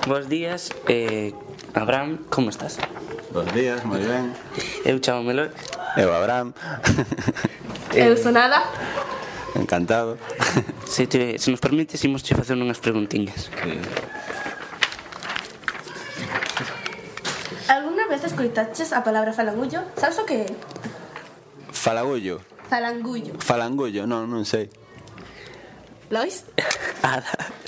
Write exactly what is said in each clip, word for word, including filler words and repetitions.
Bos días, eh, Abraham, como estás? Bos días, moi ben. Eu chamo Melo. Eu, Abraham. Eu sou nada. Encantado. Se, te, se nos permites, imos te facer unhas preguntiñas. Sí. Alguna vez escoitaches a palabra falangullo? Sabes o que é? Falagullo. Falangullo. Falangullo, non, non sei. Lois? Ada.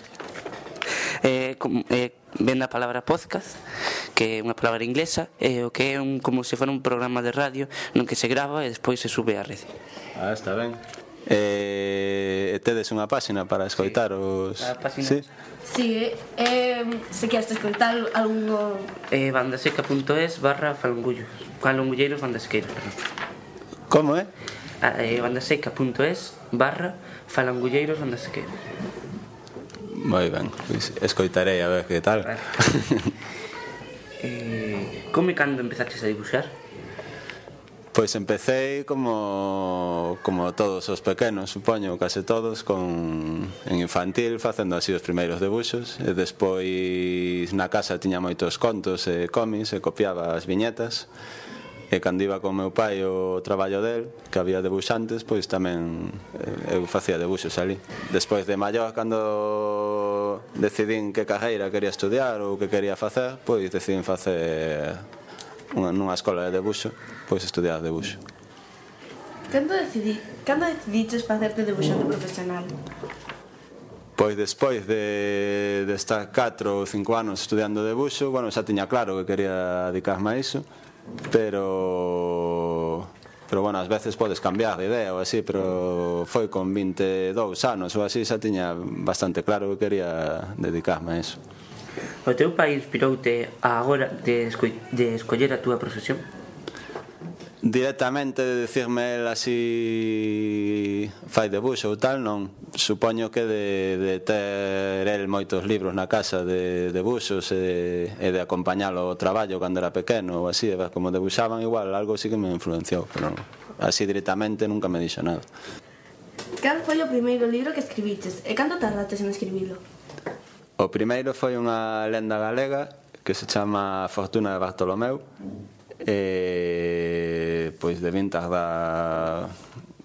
Eh, com, eh, ven da palabra podcast, que é unha palabra inglesa, e eh, o que é un, como se fora un programa de radio non que se grava e despois se sube á rede. Ah, está ben. Eh, tedes unha páxina para escoitar sí. os... A páxina. Sí. Si, eh, se queres escoitar algún... Eh, bandaseca.es barra falangullo. Falangulleiros bandasequeiros, perdón. Como é? Eh, bandaseca.es barra falangulleiros bandasequeiros. Moi ben, pois escoitarei a ver que tal. Vale. eh, como e cando empezaches a dibuixar? Pois empecé como como todos os pequenos, supoño, case todos, con en infantil facendo así os primeiros debuxos e despois na casa tiña moitos contos e cómics e copiaba as viñetas. E cando iba con meu pai o traballo del, que había debuxantes, pois tamén eu facía debuxos ali. Despois de maior, cando decidín que carreira quería estudiar ou que quería facer, pois decidín facer unha, nunha escola de debuxo, pois estudiar debuxo. Cando decidí, cando decidiches facerte debuxante profesional? Pois despois de, de estar catro ou cinco anos estudiando debuxo, bueno, xa tiña claro que quería dedicarme a iso, pero pero bueno, ás veces podes cambiar de idea ou así, pero foi con vinte e dous anos ou así xa tiña bastante claro que quería dedicarme a iso. O teu pai inspiroute a agora de, esco de escoller a túa profesión? Directamente de decirme el así fai debuxo ou tal, non. Supoño que de, de ter el moitos libros na casa de debuxos e, e de acompañalo ao traballo cando era pequeno ou así, e ver como debuxaban, igual algo sí que me influenciou, pero así directamente nunca me dixo nada. Cal foi o primeiro libro que escribiches e cando tardates en escribilo? O primeiro foi unha lenda galega que se chama Fortuna de Bartolomeu, e pois debín tardar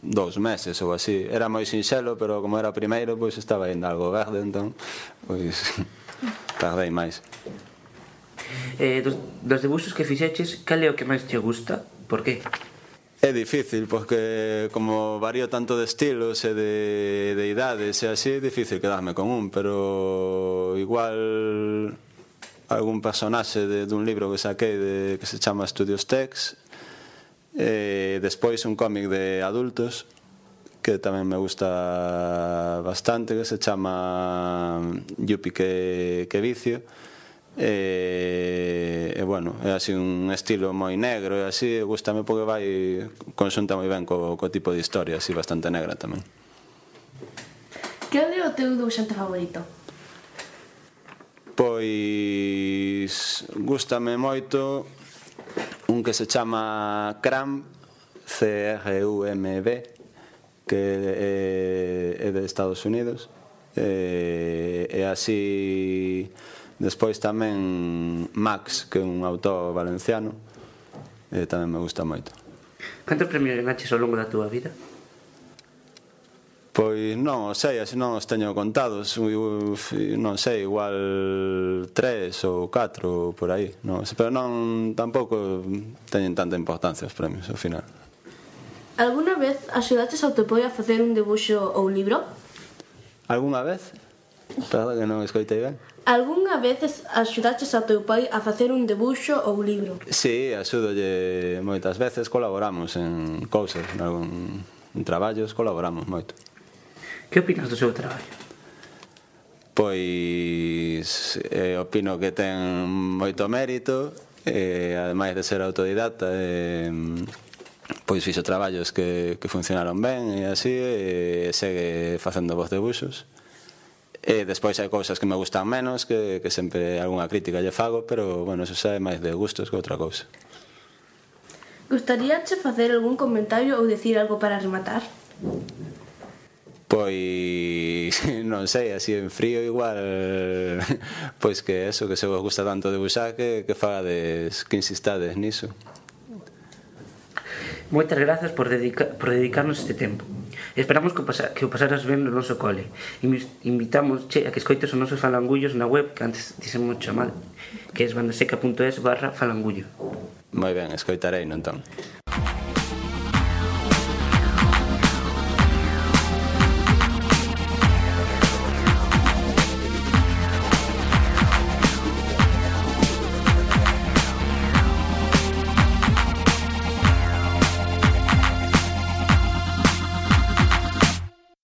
dous meses ou así. Era moi sinxelo, pero como era o primeiro, pois estaba ainda algo verde, entón pois tardei máis. Eh, dos, dos debuxos que fixeches, cal é o que máis te gusta? Por qué? É difícil, porque como varío tanto de estilos e de, de idades e así, é difícil quedarme con un, pero igual algún personaxe de, dun libro que saquei de, que se chama Studios Tex, e despois un cómic de adultos que tamén me gusta bastante, que se chama Yupi que, que vicio, e, e bueno, é así un estilo moi negro e así, gustame porque vai conxunta moi ben co, co tipo de historia, así bastante negra tamén. Que é o teu debuxante favorito? Pois gústame moito un que se chama Crumb, C R U M B, que é, é de Estados Unidos, e, e así despois tamén Max, que é un autor valenciano, e tamén me gusta moito. Cantos premios ganaches ao longo da túa vida? Pois non o sei, así non os teño contados, non sei, igual tres ou catro por aí, non, pero non, tampouco teñen tanta importancia os premios ao final. Alguna vez axudaches ao teu pai a facer un debuxo ou un libro? Alguna vez? Perdón que non escoitei ben. Algunha vez axudaches ao teu pai a facer un debuxo ou un libro? Si, axúdolle moitas veces, colaboramos en cousas, en algún en traballos colaboramos moito. Que opinas do seu traballo? Pois eh, opino que ten moito mérito, e ademais de ser autodidacta, eh, pois fixo traballos que, que funcionaron ben e así, e segue facendo vos debuxos. E despois hai cousas que me gustan menos, que, que sempre algunha crítica lle fago, pero bueno, eso xa é máis de gustos que outra cousa. Gustaríache facer algún comentario ou decir algo para rematar? Pois non sei, así en frío igual pois que eso, que se vos gusta tanto debuxar que, que fagades, que insistades niso. Moitas grazas por, dedica, por dedicarnos este tempo. Esperamos que o, pasa, que o pasaras ben no noso cole. Invitamos che, a que escoites os nosos falangullos na web, que antes dixemos chamar, que é bandaseca punto es barra falangullo. Moi ben, escoitarei non entón.